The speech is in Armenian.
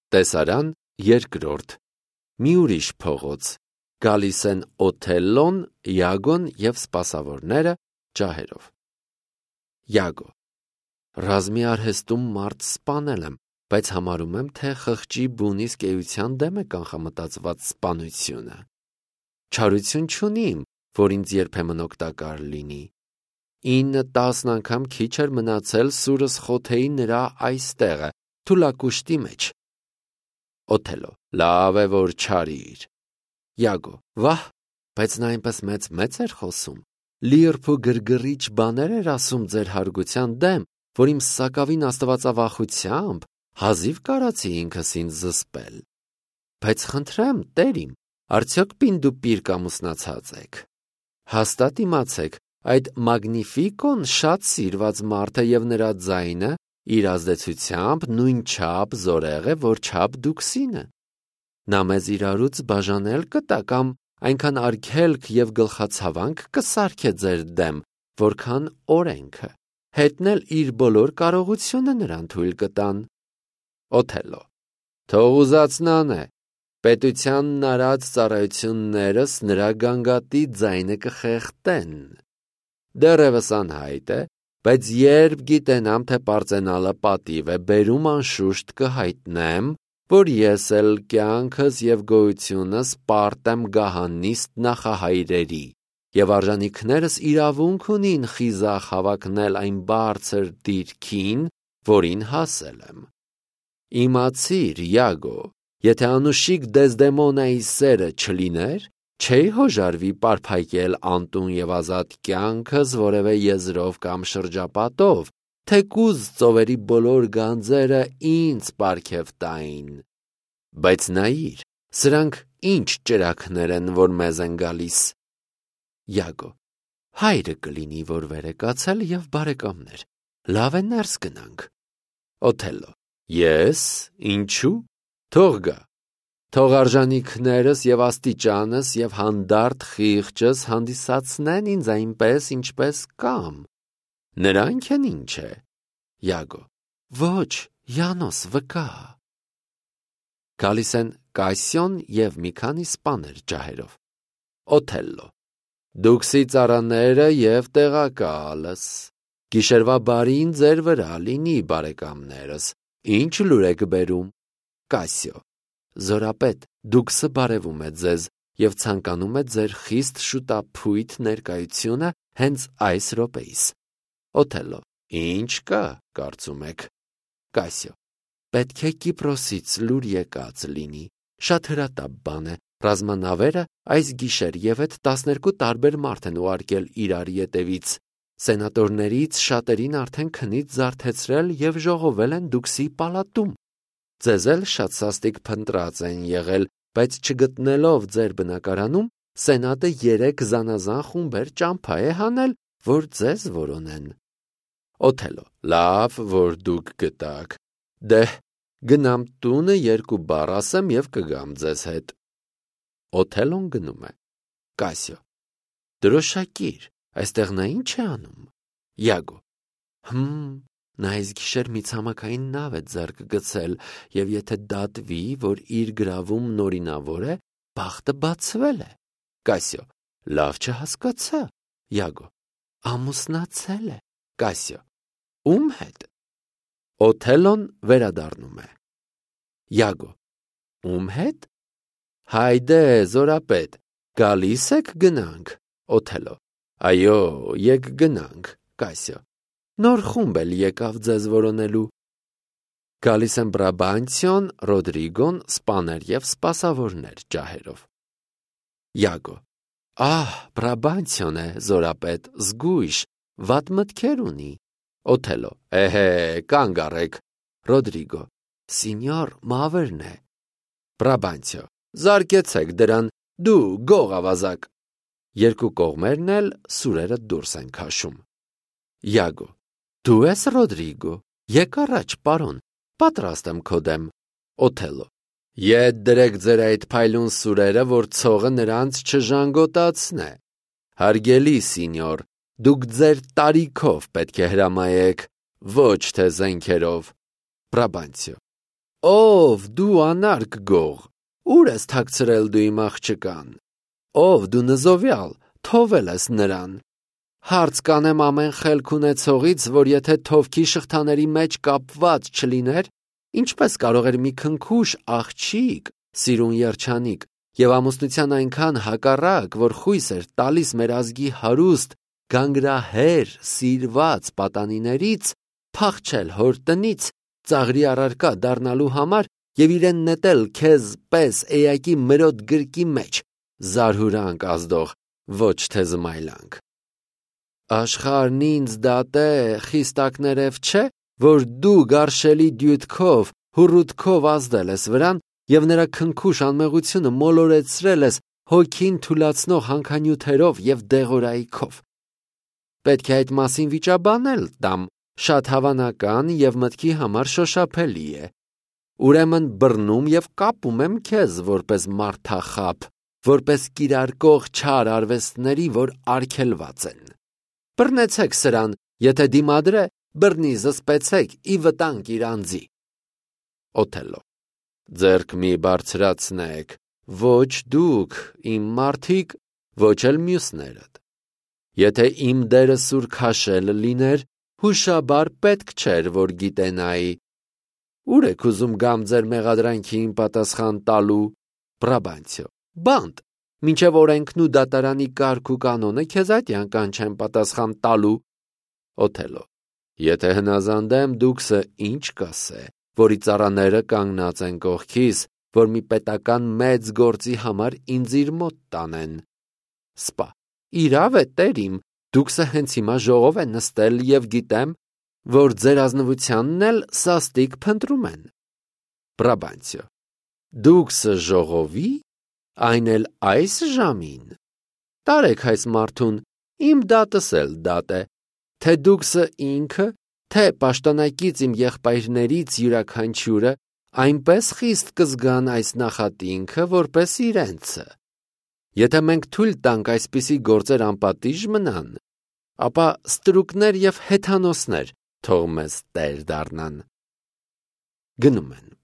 Տեսարան երկրորդ։ Մի ուրիշ փողոց։ Գալիս են Օթելլոն, Յագոն և սպասավորները ջահերով։ Յագո. Ռազմի արհեստում մարդ սպանել եմ, բայց համարում եմ, թե խղճի բուն իսկ էության դեմ է կանխամտածված սպանությունը։ Չարություն չունիմ, որ ինձ երբեմն օգտակար լինի։ 9-10 անգամ քիչ էր մնացել սուրս խոթեի նրա այստեղը, թուլակուշտի մեջ։ Օթելլո. լավ է, որ չարիր։ Յագո. վահ, բայց նա այնպես մեծ էր խոսում։ Լիրբ ու գրգռիչ բաներ էր ասում ձեր հարգության դեմ, որ իմ սակավին աստվածավախությամբ հազիվ կարացի ինքս ինձ զսպել։ Բայց խնդրեմ, տեր իմ, արդյոք պինդուպիրկ ամուսնացած եք։ Հաստատ իմացեք, այդ մագնիֆիկոն շատ սիրված մարդ է և նրա ձայնը իր ազդեցությամբ նույն չափ զորեղ է, որ չափ դուքսինը։ Նա մեզ իրարուց բաժանել կտա կամ այնքան արգելք և գլխացավանք կսարքե ձեր դեմ, որքան օրենքը, հետնել իր բոլոր կարողությունը նրան թույլ կտան։ Օթելլո. թող ուզածն է, պետությանն արած ծառայություններս նրա գանգատի ձայնը կխեղդեն։ Դեռևս անհայտ է, բայց երբ գիտենամ, թե պարծենալը պատիվ է բերում, անշուշտ կհայտնեմ, որ ես էլ կյանքս և գոյությունս պարտ եմ գահանիստ նախահայրերի, և արժանիքներս իրավունք ունին խիզախ հավակնել այն բարձր դիրքին, որին հասել եմ։ Իմացիր, Յագո, եթե անուշիկ Դեզդեմոնայի սերը չլիներ, չէի հոժարվի պարփակել անտուն և ազատ կյանքս որևէ եզրով կամ շրջապատով, թեկուզ ծովերի բոլոր գանձերը ինձ պարգև տային։ Բայց նայիր, սրանք ինչ ճրագներ են, որ մեզ են գալիս։ Յագո. հայրը կլինի, որ վեր է կացել, և բարեկամներ, լավ է ներս գնանք։ Օթելլո. ես, ինչու, թող գա, թող արժանիքներս և աստիճանս և հանդարտ խիղճս հանդիսացնեն ինձ այնպես, ինչպես կամ, նրանք են ինչ է։ Յագո. ոչ, Յանոս, վկա։ Գալիս են Կասիոն և մի քանի սպաներ ջահերով։ Օթելլո. դուքսի ծառաները և տեղակալս, գիշերվա բարին ձեր վրա լինի, բարեկամներս, ինչ լուր եք բերում։ Կասիո. զորապետ, դուքսը բարևում է ձեզ և ցանկանում է ձեր խիստ շուտափույթ ներկայությունը հենց այս րոպեիս։ Օթելլո. ինչ կա, կարծում եք։ Կասիո. պետք է Կիպրոսից լուր եկած լինի, շատ հրատապ բան է, ռազմանավերը այս գիշեր և այդ 12 տարբեր մարդ են ուղարկել իրար ետևից, սենատորներից շատերին արդեն քնից զարթեցրել և ժողովել են դուքսի պալատում։ Ձեզ էլ շատ սաստիկ փնտրած են եղել, բայց չգտնելով ձեր բնակարանում, սենատը 3 զանազան խումբեր ճամփա է հանել, որ ձեզ որոնեն։ Օթելլո. լավ, որ դուք գտաք, դեհ, գնամ տունը 2 բառ ասեմ և կգամ ձեզ հետ։ Օթելլոն գնում է։ Կասիո. դրոշակիր, այստեղ նա ինչ է անում։ Յագո. նա այս գիշեր մի ցամաքային նավ է ձեռք գցել, և եթե դատվի, որ իր գրավումն օրինավոր է, բախտը բացվել է։ Կասիո. լավ չհասկացա։ Յագո. ամուսնացել է։ Կասիո. ում հետ։ Օթելլոն վերադառնում է։ Յագո. ում հետ։ Հայդե, զորապետ, գալիս եք գնանք։ Օթելլո. այո, եկ գնանք։ Կասիո. նոր խումբ էլ եկավ ձեզ որոնելու։ Գալիս են Բրաբանցիոն, Ռոդրիգոն, սպաներ և սպասավորներ ջահերով։ Յագո. ահ, Բրաբանցիոն է, զորապետ, զգույշ, վատ մտքեր ունի։ Օթելլո. էհե, կանգ առեք։ Ռոդրիգո. սինյոր, մավրն է։ Բրաբանցիո. զարկեցեք դրան, դու գող ավազակ։ Երկու կողմերն էլ սուրերը դուրս են քաշում։ Յագո. դու ես Ռոդրիգո, եկ առաջ, պարոն, պատրաստ եմ քո դեմ։ Օթելլո. ետ դրեք ձեր այդ փայլուն սուրերը, որ ցողը նրանց չժանգոտացնե։ Հարգելի սինյոր, դուք ձեր տարիքով պետք է հրամայեք, ոչ թե զենքերով։ Բրաբանցիո. Ով դու անարգ գող, ուր ես թաքցրել դու իմ աղջկան, ով դու նզովյալ, թովել ես նրան, հարց կանեմ ամեն խելք ունեցողից, որ եթե թովքի շղթաների մեջ կապված չլիներ, ինչպես կարող էր մի քնքուշ աղջիկ, սիրուն երջանիկ, և ամուսնության այնքան հակառակ, որ խույս էր տալիս մեր ազգի հարուստ, գանգրահեր, սիրված պատանիներից, փախչել հոր տնից, ծաղրի առարկա դառնալու համար և իրեն նետել քեզ պես էակի մրոտ գրկի մեջ, զարհուրանք ազդող, ոչ թե զմայլանք։ Աշխարհն ինձ դատե խիստակներև չէ, որ դու գարշելի դյութքով, հուռութքով ազդել ես վրան և նրա քնքուշ անմեղությունը մոլորեցրել ես հոգին թուլացնող հանքանյութերով և դեղորայքով։ Պետք է այդ մասին վիճաբանել տամ, շատ հավանական և մտքի համար շոշափելի է։ Ուրեմն բռնում և կապում եմ քեզ որպես մարդախապ, որպես կիրարկող չար արվեստների, որ արգելված են։ Բռնեցեք սրան, եթե դիմադրե, բռնի զսպեցեք ի վտանգ իր անձի։ Օթելլո. ձեռք մի բարձրացնեք, ոչ դուք, իմ մարդիկ, ոչ էլ մյուսներդ։ Եթե իմ դերը սուր քաշել լիներ, հուշաբար պետք չէր, որ գիտենայի։ Ուր եք ուզում գամ ձեր մեղադրանքին պատասխան տալու, Բրաբանցիո, բանտ, մինչև օրենքն ու դատարանի կարգ ու կանոնը քեզ այդյան կանչեն պատասխան տալու։ Օթելլո. եթե հնազանդեմ, դուքսը ինչ կասե, որի ծառաները կանգնած են կողքիս, որ մի պետական մեծ գործի համար ինձ իր մոտ տանեն։ Սպա. իրավ է, տեր իմ, դուքսը հենց հիմա ժողով է նստել և գիտեմ, որ ձեր ազնվությանն էլ սաստիկ փնտրում են։ Բրաբանցիո. դուքսը ժողովի, այն էլ այս ժամին։ Տարեք այս մարդուն, իմ դատս էլ դատ է, թե դուքսը ինքը, թե պաշտոնակից իմ եղբայրներից յուրաքանչյուրը այնպես խիստ կզգան այս նախատինքը, որպես իրենցը։ Եթե մենք թույլ տանք այսպիսի գործեր անպատիժ մնան, ապա ստրուկներ և հեթանոսներ թող մեզ տեր դառնան։ Գնում են։